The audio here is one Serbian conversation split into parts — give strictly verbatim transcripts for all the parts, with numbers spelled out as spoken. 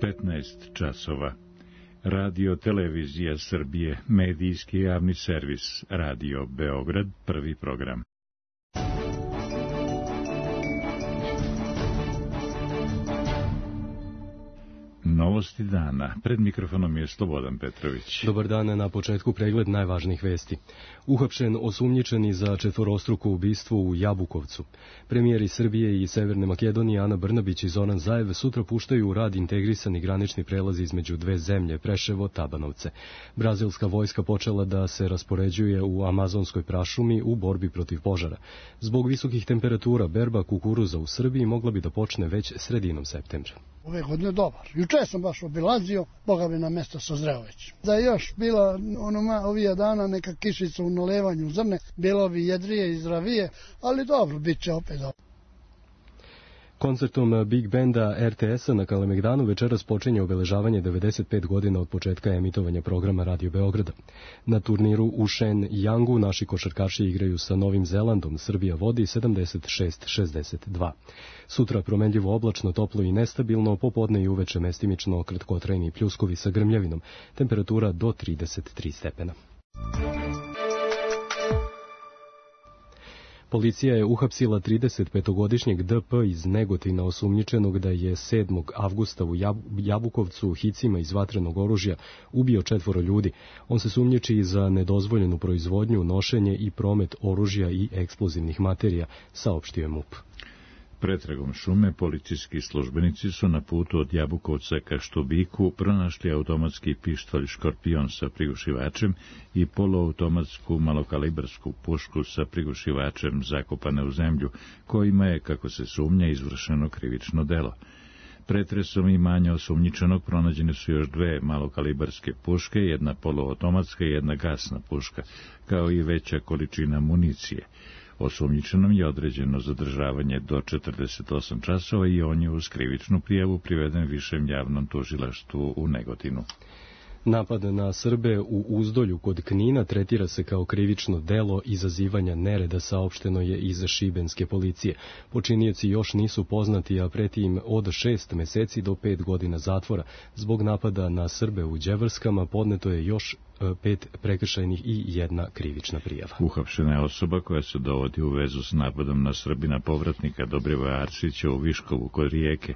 petnaest časova. Radio Televizija Srbije, medijski javni servis, Radio Beograd, prvi program. Novosti dana. Pred mikrofonom je Slobodan Petrović. Dobar dan, na početku pregled najvažnijih vesti. Uhapšen osumnjičeni za četvorostruko ubistvo u Jabukovcu. Premijeri Srbije i Severne Makedonije Ana Brnabić i Zoran Zaev sutra puštaju u rad integrisani granični prelaz između dve zemlje, Preševo-Tabanovce. Brazilska vojska počela da se raspoređuje u amazonskoj prašumi u borbi protiv požara. Zbog visokih temperatura berba kukuruza u Srbiji mogla bi da počne već sredinom septembra. Ove godine dobar. Juče sam baš obilazio, Boga bi na mjesto sazreo već. Da je još bila onoma ovija dana neka kišica u nalevanju zrne, bilo bi jedrije i zdravije, ali dobro, bit će opet dobro. Koncertom Big Benda er te es-a na Kalemegdanu večeras počinje obeležavanje devedeset pet godina od početka emitovanja programa Radio Beograda. Na turniru u Shen Yangu naši košarkaši igraju sa Novim Zelandom, Srbija vodi sedamdeset šest šezdeset dva. Sutra promenljivo oblačno, toplo i nestabilno, popodne i uveče mestimično kratkotrajni pljuskovi sa grmljavinom, temperatura do trideset tri stepena. Policija je uhapsila tridesetpetogodišnjeg de pe iz Negotina osumnjičenog da je sedmog avgusta u Jabukovcu hicima iz vatrenog oružja ubio četvoro ljudi. On se sumnjiči i za nedozvoljenu proizvodnju, nošenje i promet oružja i eksplozivnih materija, saopštio je MUP. Pretragom šume policijski službenici su na putu od Jabukovca ka Štubiku pronašli automatski pištolj Škorpion sa prigušivačem i poluautomatsku malokalibarsku pušku sa prigušivačem zakopane u zemlju, kojima je, kako se sumnja, izvršeno krivično delo. Pretresom imanja osumnjičenog pronađene su još dve malokalibarske puške, jedna poluautomatska i jedna gasna puška, kao i veća količina municije. Osumnjičenom je određeno zadržavanje do četrdeset osam časova i on je uz krivičnu prijavu priveden višem javnom tužilaštvu u Negotinu. Napad na Srbe u Uzdolju kod Knina tretira se kao krivično delo izazivanja nereda, saopšteno je iz šibenske policije. Počinioci još nisu poznati, a preti im od šest meseci do pet godina zatvora. Zbog napada na Srbe u Đevrskama podneto je još pet prekršajnih i jedna krivična prijava. Uhapšena je osoba koja se dovodi u vezu s napadom na Srbina povratnika Dobrivoja Arsića u Viškovu kod Rijeke.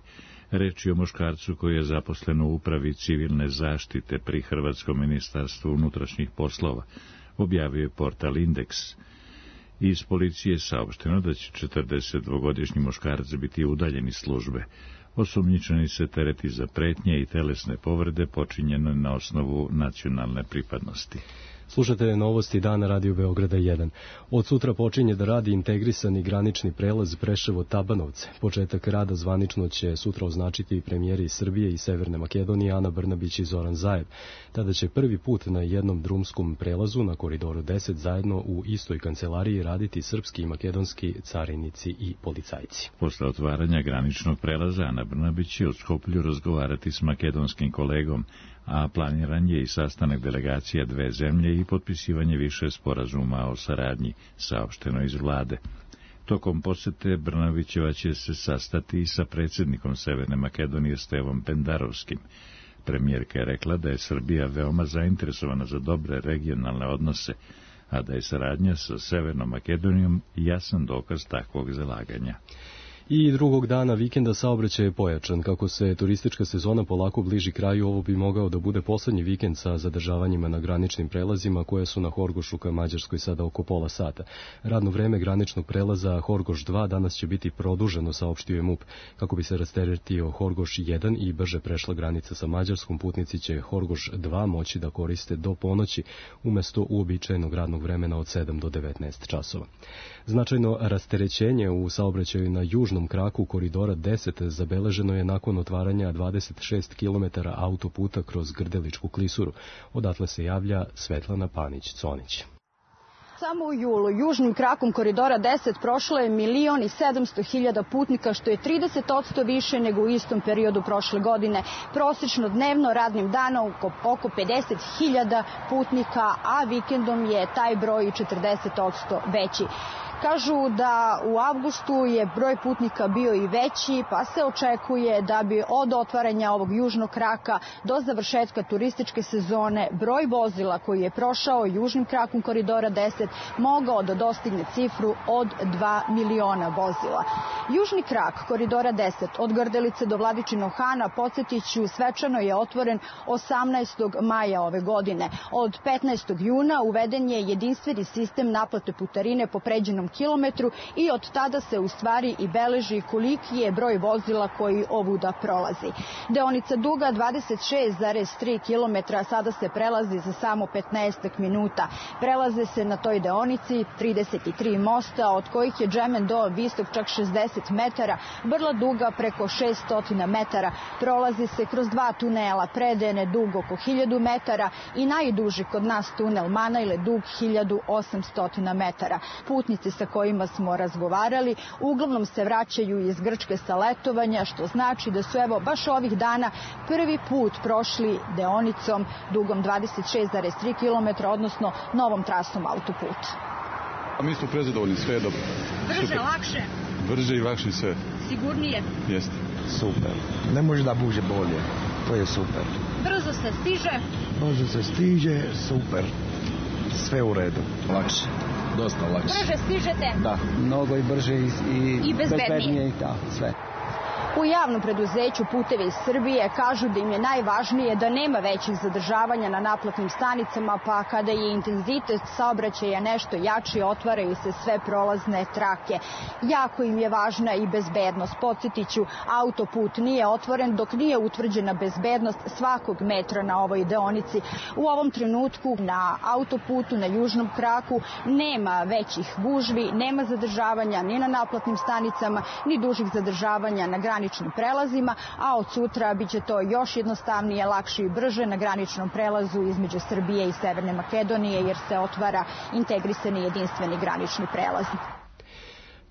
Reč je o muškarcu koji je zaposlen u upravi civilne zaštite pri Hrvatskom ministarstvu unutrašnjih poslova, objavio je portal Indeks. Iz policije je saopšteno da će četrdesetdvogodišnji muškarac biti udaljen iz službe. Osumnjičeni se tereti za pretnje i telesne povrede počinjene na osnovu nacionalne pripadnosti. Slušate novosti dana Radio Beograda jedan. Od sutra počinje da radi integrisani granični prelaz Preševo-Tabanovce. Početak rada zvanično će sutra označiti premijeri Srbije i Severne Makedonije Ana Brnabić i Zoran Zaev. Tada će prvi put na jednom drumskom prelazu na Koridoru deset zajedno u istoj kancelariji raditi srpski i makedonski carinici i policajci. Posle otvaranja graničnog prelaza Ana Brnabić će u Skoplju razgovarati s makedonskim kolegom, a planiran je i sastanak delegacija dve zemlje i potpisivanje više sporazuma o saradnji, saopšteno iz vlade. Tokom posete Brnabićeva će se sastati i sa predsjednikom Severne Makedonije Stevom Pendarovskim. Premijerka je rekla da je Srbija veoma zainteresovana za dobre regionalne odnose, a da je saradnja sa Severnom Makedonijom jasan dokaz takvog zalaganja. I drugog dana vikenda saobraćaj je pojačan. Kako se turistička sezona polako bliži kraju, ovo bi mogao da bude poslednji vikend sa zadržavanjima na graničnim prelazima koje su na Horgošu ka Mađarskoj sada oko pola sata. Radno vreme graničnog prelaza Horgoš dva danas će biti produženo, saopštio je MUP. Kako bi se rasteretio Horgoš jedan i brže prešla granica sa Mađarskom, putnici će Horgoš dva moći da koriste do ponoći umesto uobičajenog radnog vremena od sedam do devetnaest časova. Značajno rasterećenje u saobraćaju na južnom kraku Koridora deset zabeleženo je nakon otvaranja dvadeset šest kilometara autoputa kroz Grdeličku klisuru. Odatle se javlja Svetlana Panić-Conić. Samo u julu južnim krakom Koridora deset prošlo je milion i sedamsto hiljada putnika, što je trideset posto više nego u istom periodu prošle godine. Prosečno dnevno radnim danom oko pedeset hiljada putnika, a vikendom je taj broj četrdeset posto veći. Kažu da u avgustu je broj putnika bio i veći, pa se očekuje da bi od otvaranja ovog južnog kraka do završetka turističke sezone broj vozila koji je prošao južnim krakom koridora deset mogao da dostigne cifru od dva miliona vozila. Južni krak koridora deset od Grdelice do Vladičinog Hana, podsjetiću, svečano je otvoren osamnaestog maja ove godine. Od petnaestog juna uveden je jedinstveni sistem naplate putarine po pređenom kilometru i od tada se u stvari i beleži koliki je broj vozila koji ovuda prolazi. Deonica duga dvadeset šest zarez tri kilometra sada se prelazi za samo petnaest minuta. Prelaze se na toj deonici trideset tri mosta, od kojih je Džemen do visok čak šezdeset metara, vrla duga preko šesto metara. Prolazi se kroz dva tunela, Predene dug oko hiljadu metara i najduži kod nas tunel Manajle dug hiljadu osamsto metara. Putnici sa kojima smo razgovarali uglavnom se vraćaju iz Grčke sa letovanja, što znači da su evo baš ovih dana prvi put prošli deonicom dugom dvadeset šest zarez tri kilometra, odnosno novom trasom autoputa. A mi smo prezadovoljni, sve je dobro. Brže, super. Lakše? Brže i lakše sve. Sigurnije? Jeste. Super. Ne može da bude bolje. To je super. Brzo se stiže? Brzo se stiže, super. Sve u redu. Lakše. Dosta lakše. Brže stižete? Da, mnogo i brže i, i, I bezbednije. I da, sve. U javnom preduzeću Putevi Srbije kažu da im je najvažnije da nema većih zadržavanja na naplatnim stanicama, pa kada je intenzitet saobraćaja nešto jači, otvaraju se sve prolazne trake. Jako im je važna i bezbednost. Podsjetiću, autoput nije otvoren dok nije utvrđena bezbednost svakog metra na ovoj deonici. U ovom trenutku na autoputu, na južnom kraku, nema većih gužvi, nema zadržavanja ni na naplatnim stanicama, ni dužih zadržavanja na graničnim prelazima, a od sutra biće to još jednostavnije, lakše i brže na graničnom prelazu između Srbije i Severne Makedonije, jer se otvara integrisani jedinstveni granični prelaz.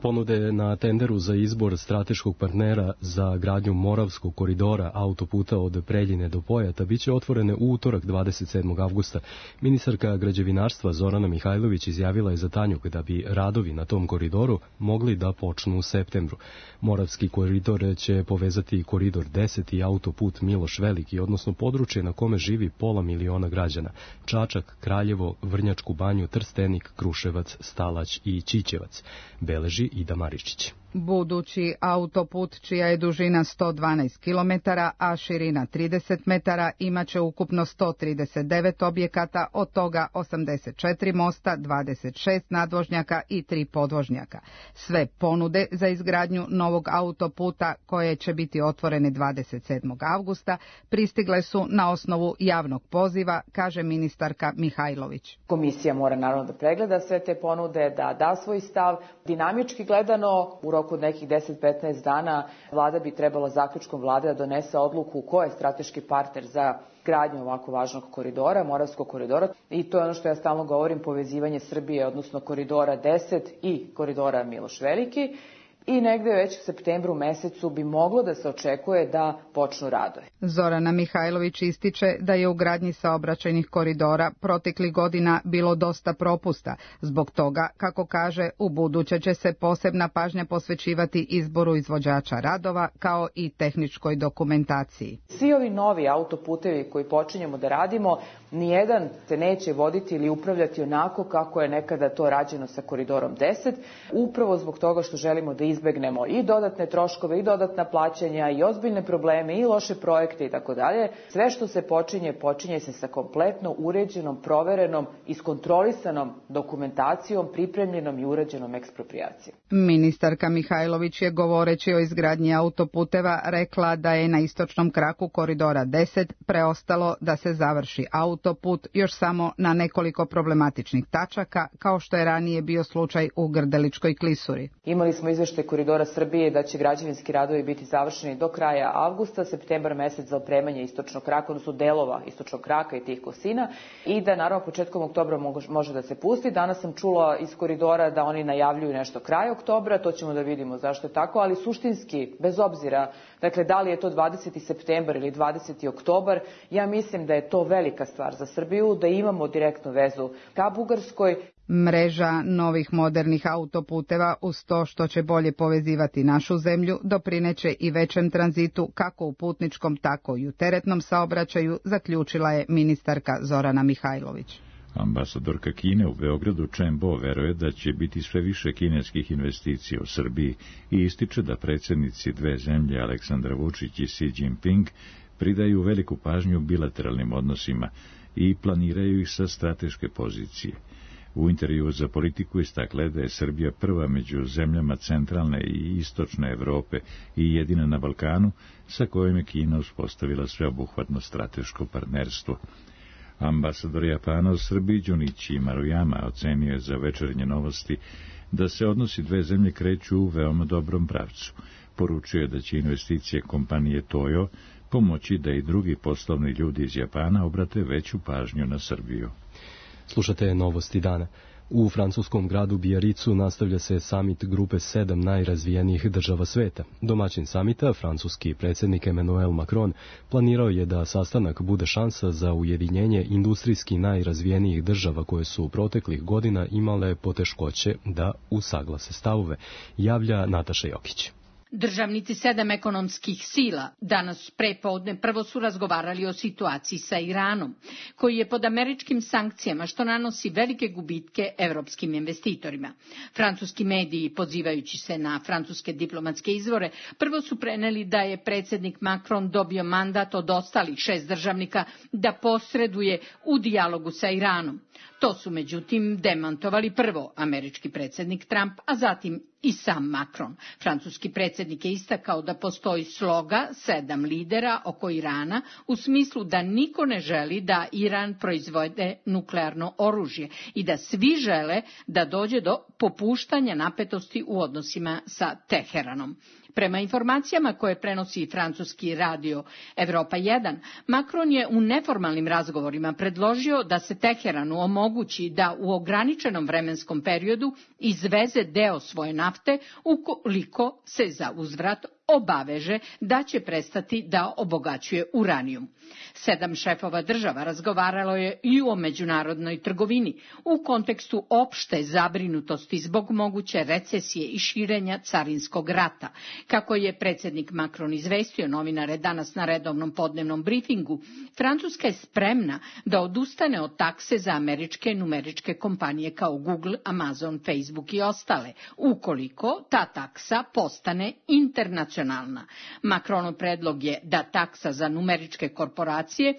Ponude na tenderu za izbor strateškog partnera za gradnju Moravskog koridora autoputa od Preljine do Pojata biće otvorene u utorak dvadeset sedmog avgusta. Ministarka građevinarstva Zorana Mihajlović izjavila je za Tanjug da bi radovi na tom koridoru mogli da počnu u septembru. Moravski koridor će povezati koridor deset i autoput Miloš Veliki, odnosno područje na kome živi pola miliona građana: Čačak, Kraljevo, Vrnjačku Banju, Trstenik, Kruševac, Stalać i Ćićevac, beleži Ida Maričić. Budući autoput, čija je dužina sto dvanaest kilometara, a širina trideset metara, imaće ukupno sto trideset devet objekata, od toga osamdeset četiri mosta, dvadeset šest nadvožnjaka i tri podvožnjaka. Sve ponude za izgradnju novog autoputa, koje će biti otvorene dvadeset sedmog avgusta, pristigle su na osnovu javnog poziva, kaže ministarka Mihajlović. Komisija mora naravno da pregleda sve te ponude, da da svoj stav. Dinamički gledano, u roku od nekih deset do petnaest dana vlada bi trebala zaključkom vlade da donese odluku ko je strateški partner za gradnju ovako važnog koridora, Moravskog koridora. I to je ono što ja stalno govorim, povezivanje Srbije, odnosno koridora deset i koridora Miloš Veliki. I negde već u septembru mesecu bi moglo da se očekuje da počnu radovi. Zorana Mihajlović ističe da je u gradnji saobraćajnih koridora proteklih godina bilo dosta propusta. Zbog toga, kako kaže, u buduće će se posebna pažnja posvećivati izboru izvođača radova kao i tehničkoj dokumentaciji. Svi ovi novi autoputevi koji počinjemo da radimo, nijedan se neće voditi ili upravljati onako kako je nekada to rađeno sa koridorom deset, upravo zbog toga što želimo da izbegnemo i dodatne troškove, i dodatna plaćanja, i ozbiljne probleme, i loše projekte i tako dalje. Sve što se počinje, počinje se sa kompletno uređenom, proverenom, iskontrolisanom dokumentacijom, pripremljenom i uređenom eksproprijacijom. Ministarka Mihajlović je, govoreći o izgradnji autoputeva, rekla da je na istočnom kraku koridora deset preostalo da se završi autoput još samo na nekoliko problematičnih tačaka, kao što je ranije bio slučaj u Grdeličkoj klisuri. Imali smo izveštaj Koridora Srbije da će građevinski radovi biti završeni do kraja avgusta, septembar mesec za opremanje istočnog kraka, odnosno delova istočnog kraka i tih kosina, i da naravno početkom oktobra može da se pusti. Danas sam čula iz Koridora da oni najavljuju nešto kraj oktobra, to ćemo da vidimo zašto je tako, ali suštinski, bez obzira, dakle, da li je to dvadeseti septembar ili dvadeseti oktobar, ja mislim da je to velika stvar za Srbiju, da imamo direktnu vezu ka Bugarskoj. Mreža novih modernih autoputeva uz to što će bolje povezivati našu zemlju doprineće i većem tranzitu kako u putničkom tako i u teretnom saobraćaju, zaključila je ministarka Zorana Mihajlović. Ambasadorka Kine u Beogradu Chen Bo veruje da će biti sve više kineskih investicija u Srbiji i ističe da predsjednici dve zemlje Aleksandar Vučić i Xi Jinping pridaju veliku pažnju bilateralnim odnosima i planiraju ih sa strateške pozicije. U intervju za Politiku istakle da je Srbija prva među zemljama centralne i istočne Evrope i jedina na Balkanu sa kojom je Kina uspostavila sveobuhvatno strateško partnerstvo. Ambasador Japana u Srbiji Junichi Maruyama ocenio je za Večernje novosti da se odnosi dve zemlje kreću u veoma dobrom pravcu. Poručio je da će investicije kompanije Toyo pomoći da i drugi poslovni ljudi iz Japana obrate veću pažnju na Srbiju. Slušate Novosti dana. U francuskom gradu Bijaricu nastavlja se samit grupe sedam najrazvijenijih država sveta. Domaćin samita, francuski predsjednik Emmanuel Macron, planirao je da sastanak bude šansa za ujedinjenje industrijski najrazvijenijih država koje su proteklih godina imale poteškoće da usaglase stavove, javlja Nataša Jokić. Državnici sedam ekonomskih sila danas prepodne prvo su razgovarali o situaciji sa Iranom, koji je pod američkim sankcijama, što nanosi velike gubitke evropskim investitorima. Francuski mediji, pozivajući se na francuske diplomatske izvore, prvo su preneli da je predsjednik Macron dobio mandat od ostalih šest državnika da posreduje u dijalogu sa Iranom. To su međutim demantovali prvo američki predsjednik Trump, a zatim i sam Macron. Francuski predsjednik je istakao da postoji sloga sedam lidera oko Irana u smislu da niko ne želi da Iran proizvode nuklearno oružje i da svi žele da dođe do popuštanja napetosti u odnosima sa Teheranom. Prema informacijama koje prenosi francuski radio Evropa jedan, Macron je u neformalnim razgovorima predložio da se Teheranu omogući da u ograničenom vremenskom periodu izveze deo svoje nafte ukoliko se za uzvrat obaveže da će prestati da obogaćuje uranijum. Sedam šefova država razgovaralo je i o međunarodnoj trgovini u kontekstu opšte zabrinutosti zbog moguće recesije i širenja carinskog rata. Kako je predsjednik Macron izvestio novinare danas na redovnom podnevnom brifingu, Francuska je spremna da odustane od takse za američke numeričke kompanije kao Google, Amazon, Facebook i ostale, ukoliko ta taksa postane internacionalna. Macronov predlog je da taksa za numeričke korporacije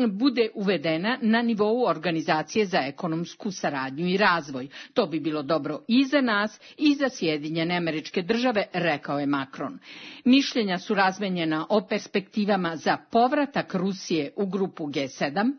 bude uvedena na nivou Organizacije za ekonomsku saradnju i razvoj. To bi bilo dobro i za nas i za Sjedinjene Američke Države, rekao je Macron. Mišljenja su razmenjena o perspektivama za povratak Rusije u grupu G sedam,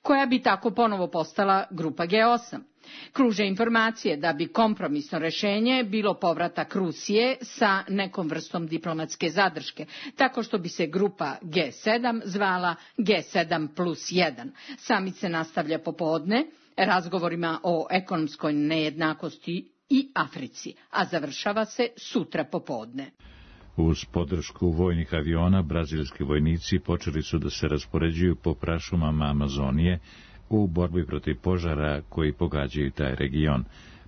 koja bi tako ponovo postala grupa G osam. Kruže informacije da bi kompromisno rješenje bilo povratak Rusije sa nekom vrstom diplomatske zadrške, tako što bi se grupa G sedam zvala G sedam plus jedan. Samit se nastavlja popodne razgovorima o ekonomskoj nejednakosti i Africi, a završava se sutra popodne. Uz podršku vojnih aviona, brazilski vojnici počeli su da se raspoređuju po prašumama Amazonije u borbi protiv požara koji pogađaju taj region.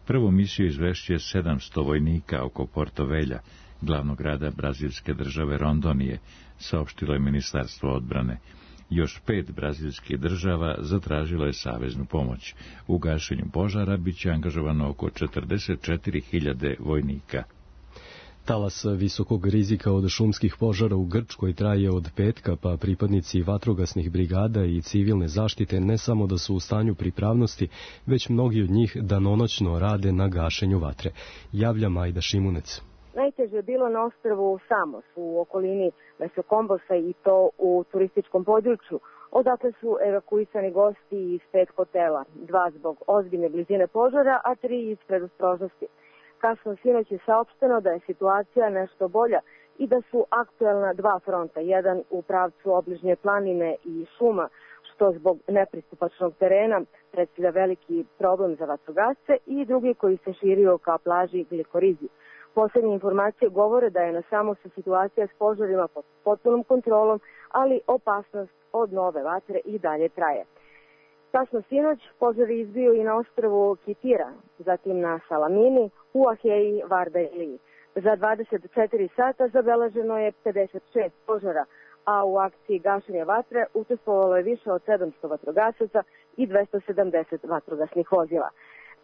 Prvu misiju izvešće sedamsto vojnika oko Porto Velja, glavnog grada brazilske države Rondonije, saopštilo je Ministarstvo odbrane. Još pet brazilskih država zatražilo je saveznu pomoć. U gašenju požara bit će angažovano oko četrdeset četiri hiljade vojnika. Talas visokog rizika od šumskih požara u Grčkoj traje od petka, pa pripadnici vatrogasnih brigada i civilne zaštite ne samo da su u stanju pripravnosti, već mnogi od njih danonoćno rade na gašenju vatre. Javlja Majda Šimunec. Najteže je bilo na ostrvu Samos u okolini Mesokombosa i to u turističkom području. Odakle su evakuisani gosti iz pet hotela, dva zbog ozbiljne blizine požara, a tri iz predostrožnosti. Kasno sinoć je saopšteno da je situacija nešto bolja i da su aktuelna dva fronta, jedan u pravcu obližnje planine i šuma, što zbog nepristupačnog terena predstavlja veliki problem za vatrogasce, i drugi koji se širio ka plaži Glikorizi. Poslednje informacije govore da je na Samosu situacija s požarima pod potpunom kontrolom, ali opasnost od nove vatre i dalje traje. Kasno sinoć požar je izbio i na ostrvu Kitira, zatim na Salamini, u Aheji, Varda i Liji. Za dvadeset četiri sata zabeleženo je pedeset šest požara, a u akciji gašenja vatre učestvovalo je više od sedamsto vatrogasaca i dvesta sedamdeset vatrogasnih vozila.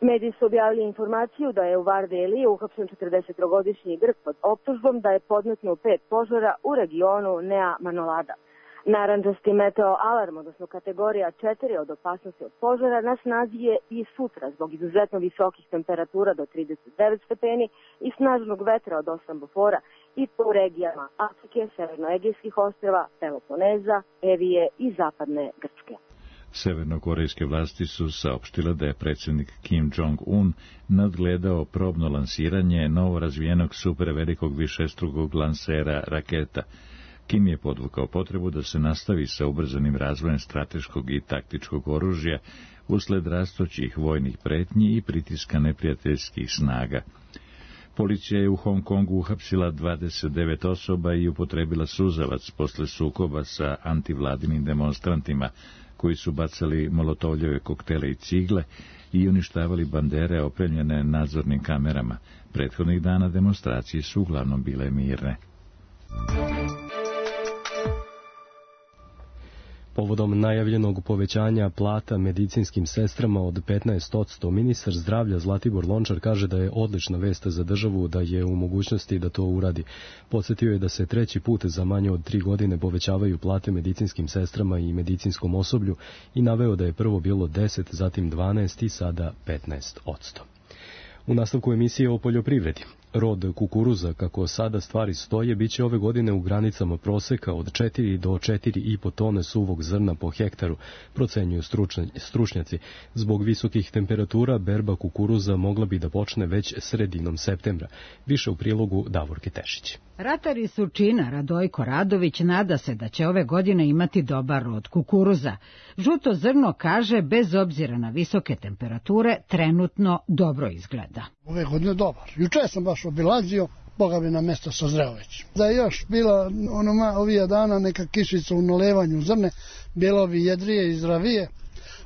Mediji su objavili informaciju da je u Varde i Liji uhapšen četrdesettrogodišnji Grk pod optužbom da je podmetnuo pet požara u regionu Nea Manolada. Narandžasti meteo alarm, odnosno kategorija četiri od opasnosti od požara, na snazi je i sutra zbog izuzetno visokih temperatura do trideset devet stepeni i snažnog vetra od osam bofora i po regijama Afrike, Severnoegejskih ostrva, Peloponeza, Evije i zapadne Grčke. Severnokorejske vlasti su saopštile da je predsjednik Kim Jong-un nadgledao probno lansiranje novo razvijenog supervelikog višestrukog lansera raketa. Kim je podvukao potrebu da se nastavi sa ubrzanim razvojem strateškog i taktičkog oružja usled rastućih vojnih pretnji i pritiska neprijateljskih snaga. Policija je u Hong Kongu uhapsila dvadeset devet osoba i upotrebila suzavac posle sukoba sa antivladinim demonstrantima, koji su bacali molotovljeve koktele i cigle i uništavali bandere opremljene nadzornim kamerama. Prethodnih dana demonstracije su uglavnom bile mirne. Povodom najavljenog povećanja plata medicinskim sestrama od petnaest posto, ministar zdravlja Zlatibor Lončar kaže da je odlična vest za državu da je u mogućnosti da to uradi. Podsjetio je da se treći put za manje od tri godine povećavaju plate medicinskim sestrama i medicinskom osoblju i naveo da je prvo bilo deset, zatim dvanaest i sada petnaest posto. U nastavku emisije o poljoprivredi. Rod kukuruza, kako sada stvari stoje, bit će ove godine u granicama proseka od četiri do četiri i po tone suvog zrna po hektaru, procenjuju stručnjaci. Zbog visokih temperatura berba kukuruza mogla bi da počne već sredinom septembra. Više u prilogu Davorke Tešić. Ratar iz Surčina Radojko Radović nada se da će ove godine imati dobar rod kukuruza. Žuto zrno, kaže, bez obzira na visoke temperature, trenutno dobro izgleda. Ove godine dobar. Juče sam baš obilazio, Boga bi na mjesto sazreo već. Da je još bila onoma ovih dana neka kišica u nalevanju zrne, bilo bi jedrije i zdravije,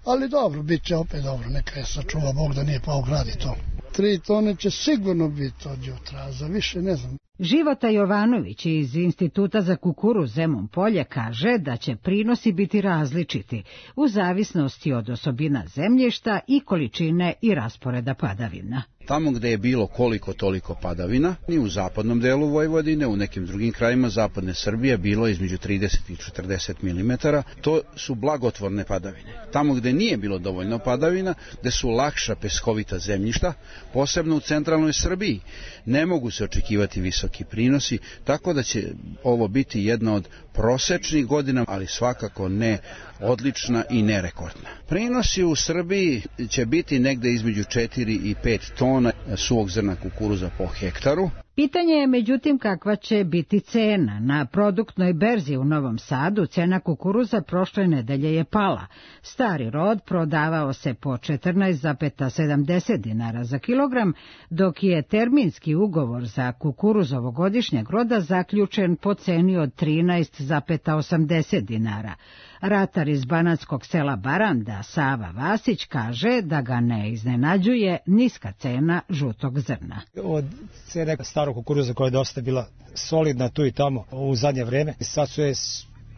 ali dobro, bit će opet dobro, neka je sačuva Bog da nije pao grad i to. Tri tone će sigurno biti od jutra, za više ne znam. Života Jovanović iz Instituta za kukuruz Zemun Polje kaže da će prinosi biti različiti u zavisnosti od osobina zemljišta i količine i rasporeda padavina. Tamo gde je bilo koliko toliko padavina, i u zapadnom delu Vojvodine, u nekim drugim krajima zapadne Srbije bilo između trideset i četrdeset milimetara, to su blagotvorne padavine. Tamo gde nije bilo dovoljno padavina, gde su lakša peskovita zemljišta, posebno u centralnoj Srbiji, ne mogu se očekivati visoki prinosi, tako da će ovo biti jedna od prosečnih godina, ali svakako ne odlična i nerekordna. Prinosi u Srbiji će biti negde između četiri i pet tona suvog zrna kukuruza po hektaru. Pitanje je međutim kakva će biti cena. Na produktnoj berzi u Novom Sadu cena kukuruza prošle nedelje je pala. Stari rod prodavao se po četrnaest zarez sedamdeset dinara za kilogram, dok je terminski ugovor za kukuruz ovogodišnjeg roda zaključen po ceni od trinaest zarez osamdeset dinara. Ratar iz banatskog sela Baranda, Sava Vasić, kaže da ga ne iznenađuje niska cena žutog zrna. Od cene starog kukuruza koja je dosta bila solidna tu i tamo u zadnje vreme, sad su je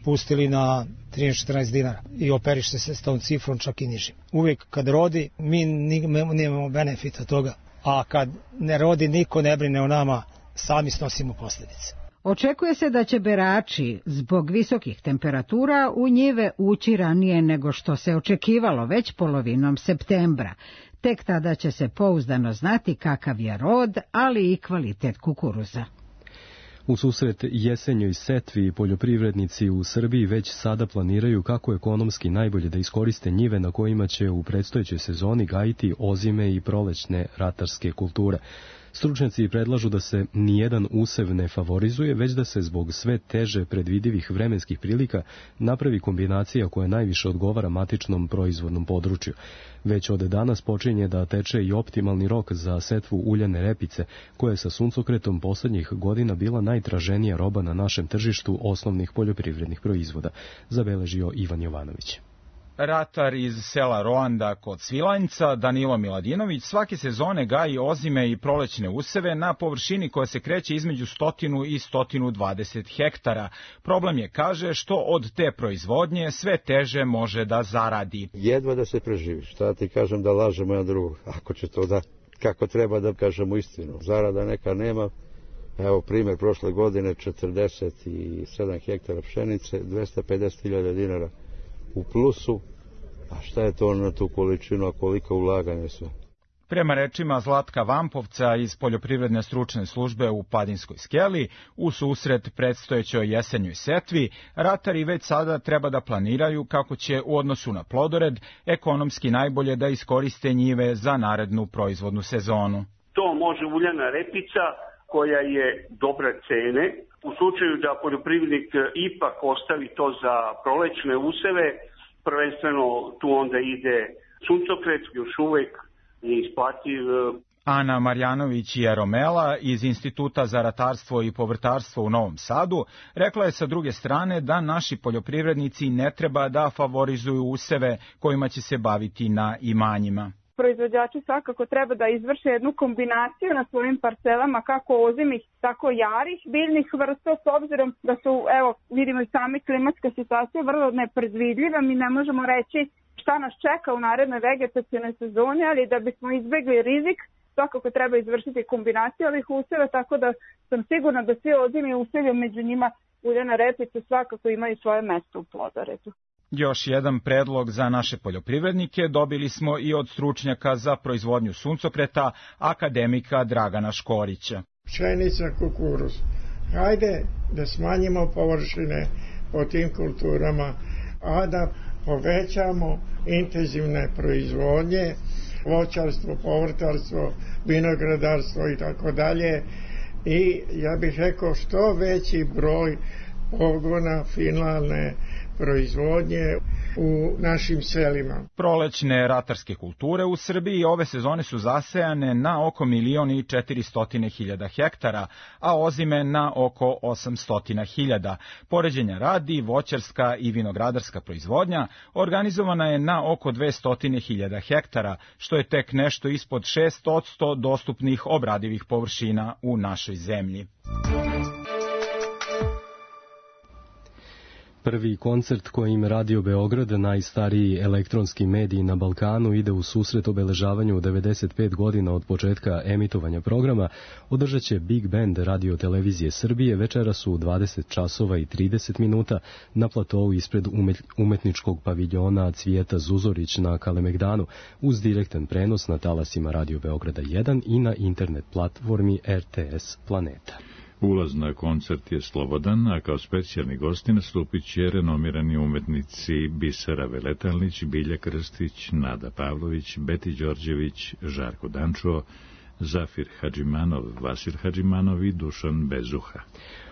pustili na trinaest četrnaest dinara i operiše se s tom cifrom čak i nižim. Uvijek kad rodi mi nemamo benefita toga, a kad ne rodi niko ne brine o nama, sami snosimo posljedice. Očekuje se da će berači zbog visokih temperatura u njive ući ranije nego što se očekivalo, već polovinom septembra. Tek tada će se pouzdano znati kakav je rod, ali i kvalitet kukuruza. U susret jesenjoj setvi poljoprivrednici u Srbiji već sada planiraju kako ekonomski najbolje da iskoriste njive na kojima će u predstojećoj sezoni gajiti ozime i prolećne ratarske kulture. Stručnjaci predlažu da se nijedan usev ne favorizuje, već da se zbog sve teže predvidivih vremenskih prilika napravi kombinacija koja najviše odgovara matičnom proizvodnom području. Već od danas počinje da teče i optimalni rok za setvu uljane repice, koja je sa suncokretom poslednjih godina bila najtraženija roba na našem tržištu osnovnih poljoprivrednih proizvoda, zabeležio Ivan Jovanović. Ratar iz sela Roanda kod Svilajnca, Danilo Miladinović, svake sezone gaji ozime i prolećne useve na površini koja se kreće između stotinu i stotinu dvadeset hektara. Problem je, kaže, što od te proizvodnje sve teže može da zaradi. Jedva da se preživi. Šta ti kažem da lažemo jedan drugog, ako će to da, kako treba da kažemo istinu. Zarada neka nema. Evo primjer, prošle godine četrdeset sedam hektara pšenice, dvesta pedeset hiljada dinara u plusu, a šta je to na tu količinu, a koliko ulaganje sve? Prema rečima Zlatka Vampovca iz Poljoprivredne stručne službe u Padinskoj skeli, u susret predstojećoj jesenjoj setvi, ratari već sada treba da planiraju kako će u odnosu na plodored ekonomski najbolje da iskoriste njive za narednu proizvodnu sezonu. To može uljana repica koja je dobre cene. U slučaju da poljoprivrednik ipak ostavi to za prolećne useve, prvenstveno tu onda ide suncokret, još uvek je isplativ. Ana Marjanović Jeromela iz Instituta za ratarstvo i povrtarstvo u Novom Sadu rekla je sa druge strane da naši poljoprivrednici ne treba da favorizuju useve kojima će se baviti na imanjima. Proizvođači svakako treba da izvrše jednu kombinaciju na svojim parcelama, kako ozimih, tako jarih biljnih vrsta, s obzirom da su, evo, vidimo i sami klimatska situacija vrlo nepredvidljiva. Mi ne možemo reći šta nas čeka u narednoj vegetacijnoj sezoni, ali da bismo izbegli rizik, svakako treba izvršiti kombinaciju ovih useva, tako da sam sigurna da svi ozimi usevi, među njima uljana repica, svakako imaju svoje mesto u plodoredu. Još jedan predlog za naše poljoprivrednike dobili smo i od stručnjaka za proizvodnju suncokreta, akademika Dragana Škorića. Pšenica, kukuruz. Hajde da smanjimo površine po tim kulturama, a da povećamo intenzivne proizvodnje, voćarstvo, povrtarstvo, vinogradarstvo i tako dalje. I ja bih rekao što veći broj pogona finalne proizvodnje u našim selima. Prolećne ratarske kulture u Srbiji ove sezone su zasejane na oko milion i četiristotine hiljada hektara, a ozime na oko osamstotine hiljada. Poređenja radi, voćarska i vinogradarska proizvodnja organizovana je na oko dvestotine hiljada hektara, što je tek nešto ispod šest posto dostupnih obradivih površina u našoj zemlji. Prvi koncert kojim Radio Beograd, najstariji elektronski medij na Balkanu, ide u susret obeležavanju devedeset pet godina od početka emitovanja programa, održat će Big Band Radio Televizije Srbije večeras u dvadeset časova i trideset minuta na platovu ispred umetničkog paviljona Cvijeta Zuzorić na Kalemegdanu, uz direktan prenos na talasima Radio Beograda jedan i na internet platformi R T S Planeta. Ulaz na koncert je slobodan, a kao specijalni gosti nastupit će renomirani umetnici Bisera Veletalnić, Bilja Krstić, Nada Pavlović, Beti Đorđević, Žarko Dančo, Zafir Hadžimanov, Vasil Hadžimanov i Dušan Bezuha.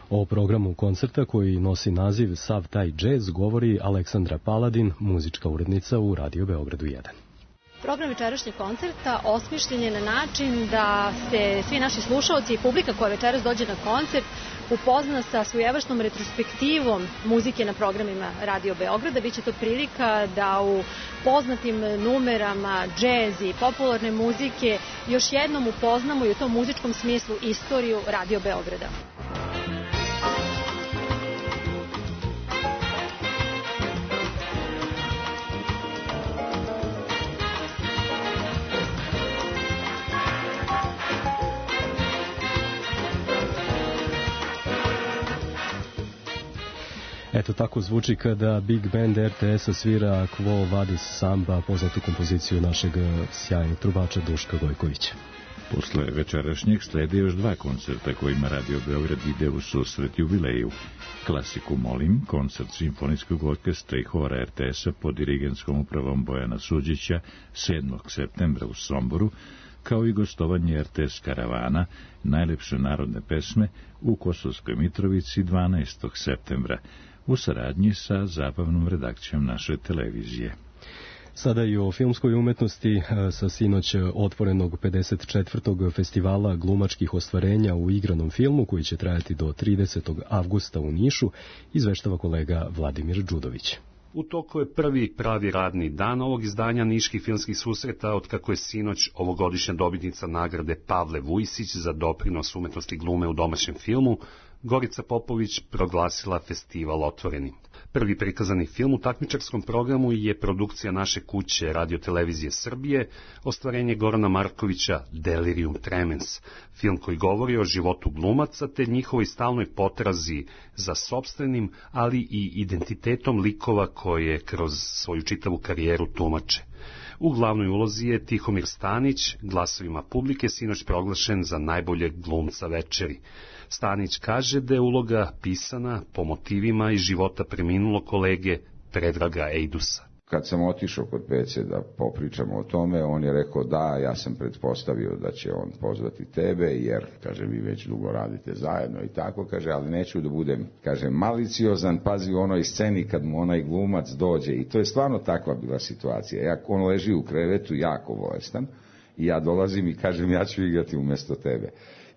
O programu koncerta koji nosi naziv Sav taj džez govori Aleksandra Paladin, muzička urednica u Radio Beogradu jedan. Program večerašnjeg koncerta osmišljen je na način da se svi naši slušaoci i publika koja večeras dođe na koncert upozna sa svojevrstnom retrospektivom muzike na programima Radio Beograda. Biće to prilika da u poznatim numerama džez i popularne muzike još jednom upoznamo i u tom muzičkom smislu istoriju Radio Beograda. Eto tako zvuči kada Big Band R T S-a svira Quo Vadis Samba, poznatu kompoziciju našeg sjajnog trubača Duška Gojkovića. Posle večerašnjeg slede još dva koncerta kojima Radio Beograd ide u susret jubileju. Klasiku Molim, koncert Simfonijskog orkestra i hora R T S-a pod dirigenskom upravom Bojana Suđića sedmog septembra u Somboru, kao i gostovanje R T S Karavana, najlepše narodne pesme u Kosovskoj Mitrovici dvanaestog septembra, u saradnji sa zabavnom redakcijom naše televizije. Sada i o filmskoj umetnosti sa sinoć otvorenog pedeset četvrtog festivala glumačkih ostvarenja u igranom filmu, koji će trajati do tridesetog avgusta u Nišu, izveštava kolega Vladimir Đudović. U toku je prvi pravi radni dan ovog izdanja Niških filmskih susreta, otkako je sinoć ovogodišnja dobitnica nagrade Pavle Vujsić za doprinos umetnosti glume u domaćem filmu, Gorica Popović proglasila festival otvorenim. Prvi prikazani film u takmičarskom programu je produkcija naše kuće Radiotelevizije Srbije, ostvarenje Gorana Markovića Delirium Tremens, film koji govori o životu glumaca te njihovoj stalnoj potrazi za sopstvenim, ali i identitetom likova koje kroz svoju čitavu karijeru tumače. U glavnoj ulozi je Tihomir Stanić, glasovima publike sinoć proglašen za najboljeg glumca večeri. Stanić kaže da je uloga pisana po motivima iz života preminulog kolege Predraga Ejdusa. Kad sam otišao kod Pece da popričamo o tome, on je rekao da, ja sam pretpostavio da će on pozvati tebe, jer, kaže, vi već dugo radite zajedno i tako, kaže, ali neću da budem, kaže, maliciozan, pazi u onoj sceni kad mu onaj glumac dođe, i to je stvarno takva bila situacija. Ja, on leži u krevetu, jako bolestan, i ja dolazim i kažem, ja ću igrati umjesto tebe.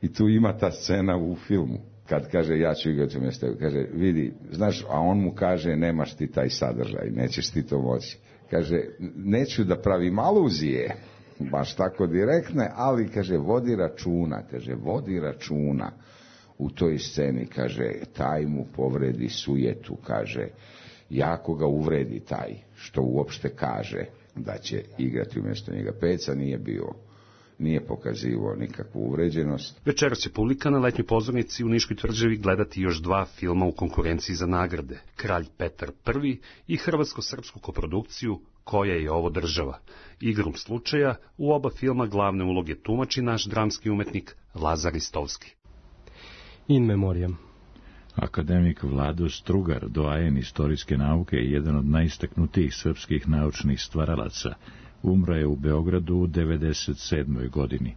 I tu ima ta scena u filmu. Kad kaže, ja ću igrati umjesto tebe, kaže, vidi, znaš, a on mu kaže, nemaš ti taj sadržaj, nećeš ti to moći. Kaže, neću da pravim aluzije, baš tako direktne, ali, kaže, vodi računa, kaže, vodi računa u toj sceni, kaže, taj mu povredi sujetu, kaže, jako ga uvredi taj, što uopšte kaže da će igrati umjesto njega. Peca nije bio nije pokazivao nikakvu uvređenost. Večeras će publika na letnjoj pozornici u Niškoj tvrđavi gledati još dva filma u konkurenciji za nagrade, Kralj Petar prvi i hrvatsko-srpsku koprodukciju Koja je ovo država. Igrom slučaja u oba filma glavne uloge tumači naš dramski umetnik Lazar Istovski. In memoriam. Akademik Vlado Strugar, doajen istorijske nauke i jedan od najistaknutijih srpskih naučnih stvaralaca, umro je u Beogradu u devedeset sedmoj godini.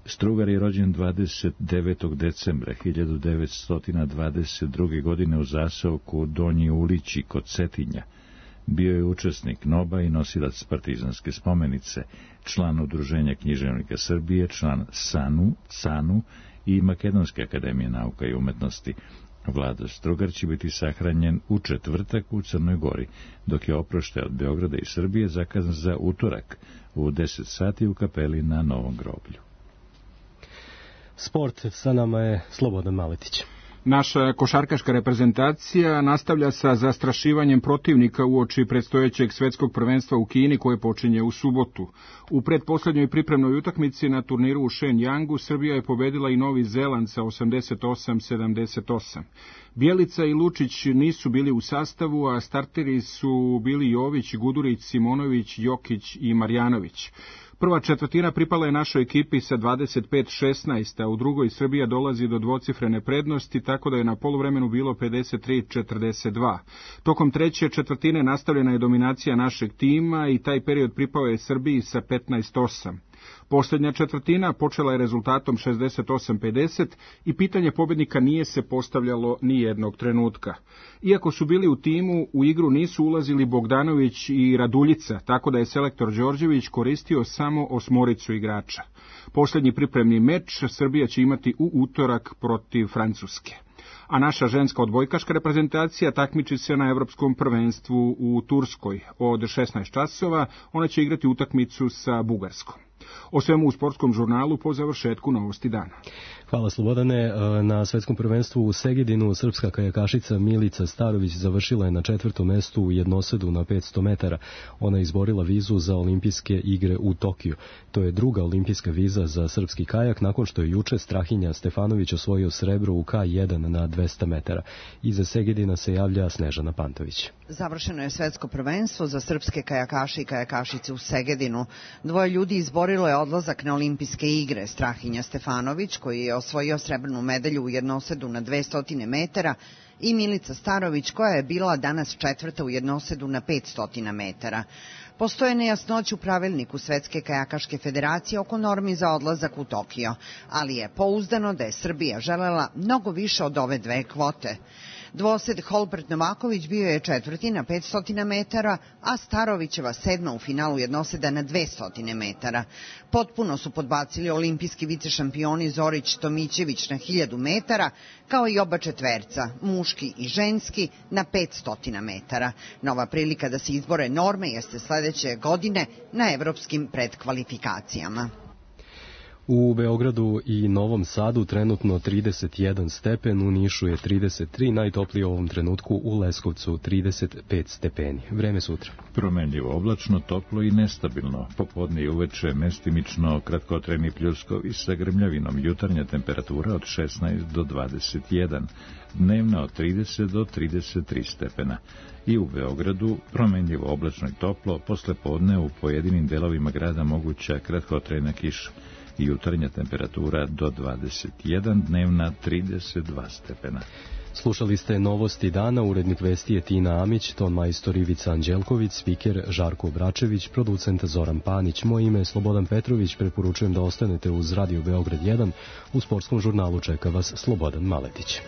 Strugar je rođen dvadeset devetog decembra hiljadu devetsto dvadeset druge. godine u zaseoku Donji Ulići kod Cetinja. Bio je učesnik N O B-a i nosilac partizanske spomenice, član Udruženja književnika Srbije, član SANU, CANU i Makedonske akademije nauka i umetnosti. Vlado Strugar će biti sahranjen u četvrtak u Crnoj Gori, dok je oproštaj od Beograda i Srbije zakazan za utorak u deset sati u kapeli na Novom groblju. Sport, sa nama je Slobodan Maletić. Naša košarkaška reprezentacija nastavlja sa zastrašivanjem protivnika uoči predstojećeg svetskog prvenstva u Kini koje počinje u subotu. U pretposlednjoj pripremnoj utakmici na turniru u Shenyang Srbija je pobedila i Novi Zeland sa osamdeset osam sedamdeset osam. Bjelica i Lučić nisu bili u sastavu, a starteri su bili Jović, Gudurić, Simonović, Jokić i Marjanović. Prva četvrtina pripala je našoj ekipi sa dvadeset pet šesnaest, a u drugoj Srbija dolazi do dvocifrene prednosti, tako da je na poluvremenu bilo pedeset tri četrdeset dva. Tokom treće četvrtine nastavljena je dominacija našeg tima i taj period pripao je Srbiji sa petnaest osam. Posljednja četvrtina počela je rezultatom šezdeset osam pedeset i pitanje pobjednika nije se postavljalo ni jednog trenutka. Iako su bili u timu, u igru nisu ulazili Bogdanović i Raduljica, tako da je selektor Đorđević koristio samo osmoricu igrača. Posljednji pripremni meč Srbija će imati u utorak protiv Francuske. A naša ženska odbojkaška reprezentacija takmiči se na Evropskom prvenstvu u Turskoj. Od šesnaest časova ona će igrati utakmicu sa Bugarskom. O svemu u sportskom žurnalu po završetku novosti dana. Hvala Slobodane. Na svetskom prvenstvu u Segedinu srpska kajakašica Milica Starović završila je na četvrtom mestu u jednosedu na petsto metara. Ona je izborila vizu za olimpijske igre u Tokiju. To je druga olimpijska viza za srpski kajak nakon što je juče Strahinja Stefanović osvojio srebro u K jedan na dvesta metara. Iza Segedina se javlja Snežana Pantović. Završeno je svetsko prvenstvo za srpske kajakaše i kajakašice u Segedinu. Dvoje ljudi izborilo je odlazak na olimpijske igre. Strahinja Stefanović, koji je osvojio srebrnu medalju u jednosedu na dvesta metara, i Milica Starović, koja je bila danas četvrta u jednosedu na petsto metara. Postoje nejasnoće u pravilniku Svetske kajakaške federacije oko normi za odlazak u Tokio, ali je pouzdano da je Srbija želela mnogo više od ove dve kvote. Dvosed Holbert Novaković bio je četvrti na petsto metara, a Starovićeva sedma u finalu jednoseda na dvesta metara. Potpuno su podbacili olimpijski vicešampioni Zorić Tomićević na hiljadu metara, kao i oba četverca, muški i ženski, na petsto metara. Nova prilika da se izbore norme jeste sledeće godine na evropskim predkvalifikacijama. U Beogradu i Novom Sadu trenutno trideset jedan stepen, u Nišu je trideset tri, najtoplije u ovom trenutku u Leskovcu trideset pet stepeni. Vreme sutra. Promenljivo oblačno, toplo i nestabilno. Popodne i uveče mestimično kratkotrajni pljuskovi sa grmljavinom. Jutarnja temperatura od šesnaest do dvadeset jedan, dnevna od trideset do trideset tri stepena. I u Beogradu promenljivo oblačno i toplo, posle podne u pojedinim delovima grada moguća kratkotrajna kiša. Jutarnja temperatura do dvadeset jedan, dnevna trideset dva stepena. Slušali ste novosti dana, urednik vesti je Tina Amić, ton majstor Ivica Anđelković, spiker Žarko Obračević, producent Zoran Panić. Moje ime je Slobodan Petrović, preporučujem da ostanete uz Radio Beograd jedan, u sportskom žurnalu čeka vas Slobodan Maletić.